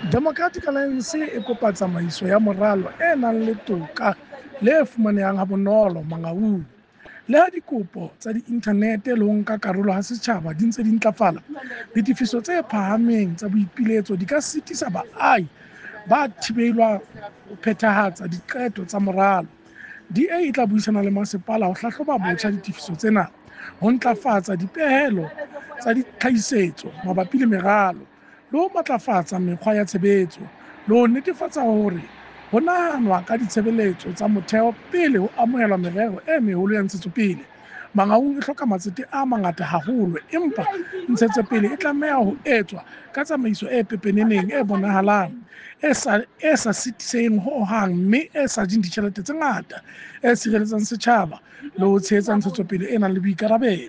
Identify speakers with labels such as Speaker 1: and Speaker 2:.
Speaker 1: Democratic Alliance e kopa tsamaiso ya moralo e nang le toka le e fumanehang habonolo Mangaung. Le ha dikopo tsa diinthanete le ho nka karolo ha setjhaba di ntse di ntlafala, ditefiso tse phahameng tsa boipiletso di ka sitisa baahi ba thibelwa ho phethahatsa diqeto tsa moralo. DA e tla buisana le masepala ho hlahloba botjha ditefiso tsena, ho ntlafatsa dipehelo tsa ditlhahisetso mabapi le meralo, le ho matlafatsa mekgwa ya tshebetso, le ho netefatsa hore ho nahanwa ka ditshebeletso tsa motheo pele ho amohelwa merero e meholo ya ntshetsopele. Mangaung e hloka matsete a mangata haholo, empa ntshetsopele e tlameha ho etswa ka tsamaiso e pepeneneng, e bonahalang, e sa sitiseng ho hang mme e sa jeng ditjhelete tse ngata, e sireletsang setjhaba le ho tshehetsa ntshetsopele e nang le boikarabelo.